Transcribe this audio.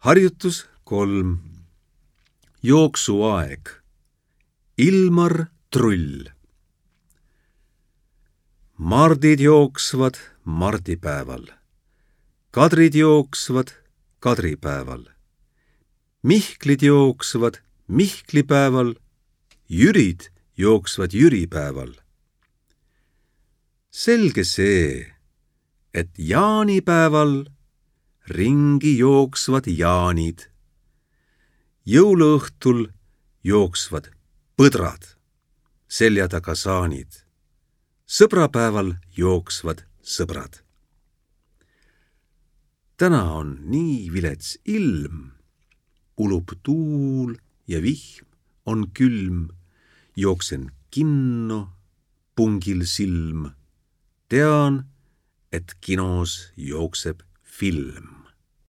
Harjutus 3. Jooksuaeg. Ilmar Trull. Mardid jooksvad mardipäeval. Kadrid jooksvad kadripäeval. Mihklid jooksvad mihklipäeval. Jürid jooksvad jüripäeval. Selge see, et jaanipäeval ringi jooksvad jaanid. Jõuluõhtul jooksvad põdrad, selja taga saanid. Sõbrapäeval jooksvad sõbrad. Täna on nii vilets ilm, ulub tuul ja vihm on külm. Jooksen kinno, pungil silm. Tean, et kinos jookseb film.